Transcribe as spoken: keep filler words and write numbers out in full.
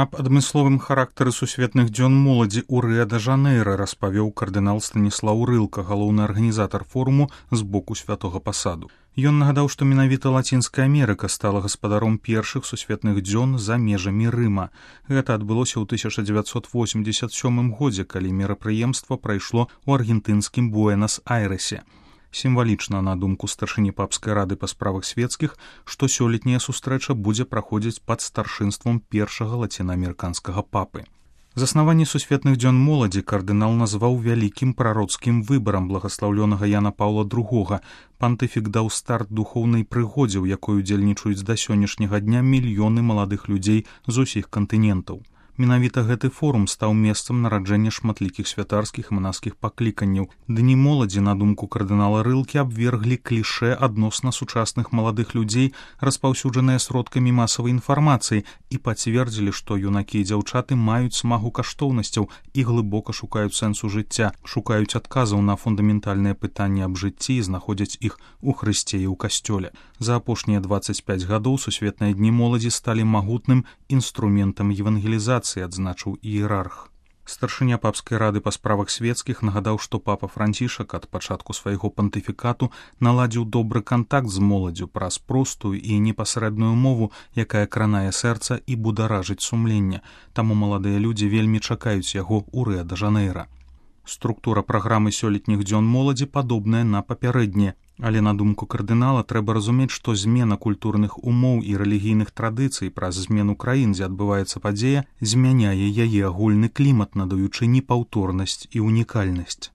Аб адмысловым характары сусветных дзён моладзі ў Рыа-дэ-Жанэйра распавёў кардынал Станіслаў Рылка, галоўны арганізатар форуму з боку святога пасаду. Ён нагадаў, што менавіта Лацінская Амерыка стала гаспадаром першых сусветных дзён за межамі Рыма. Гэта адбылося ў тысяча дзевяцьсот восемьдесят сёмым годзе, калі мерапрыемства прайшло ў аргентынскім Буэнас-Айрэсе. Сімвалічна, на думку старшыні папскай рады па справах светскіх, што сёлетняя сустрэча будзе праходзіць пад старшынствам першага лацінаамерыканскага папы. Заснаванне сусветных дзён моладзі кардынал назваў вялікім прароцкім выбарам благаслаўлёнага Яна Паўла другога. Пантыфік даў старт духоўнай прыгодзе, у якой удзельнічаюць да сённяшняга дня мільёны маладых людзей з усіх кантынентаў. Менавіта гэты форум стаў месцам нараджэння шматлікіх святарскіх і манаскіх пакліканняў. Дні моладзі, на думку кардынала Рылкі, абверглі клішэ адносна сучасных маладых людзей, распаўсюджаныя сродкамі масавай інфармацыі, і пацвердзілі, што юнакі і дзяўчаты маюць смагу каштоўнасцяў і глыбока шукаюць сэнсу жыцця, шукаюць адказаў на фундаментальныя пытанні аб жыцці і знаходзяць іх у Хрысце і ў касцёле. За апошнія дваццаць пяць гадоў сусветныя дні моладзі сталі магутным інструментам евангелізацыі, адзначыў іерарх. Старшыня папскай рады па справах светскіх нагадаў, што папа Францішак ад пачатку свайго пантыфікату наладзіў добры кантакт з моладдзю праз простую і непасрэдную мову, якая кранае сэрца і бударажыць сумленне. Таму маладыя людзі вельмі чакаюць яго ў Рыа-дэ-Жанэйра. Структура праграмы сёлетніх дзён моладзі падобная на папярэднія, але, на думку кардынала, трэба разумець, што змена культурных умоў і рэлігійных традыцый праз змену краін, дзе адбываецца падзея, змяняе яе агульны клімат, надаючы непаўторнасць і унікальнасць.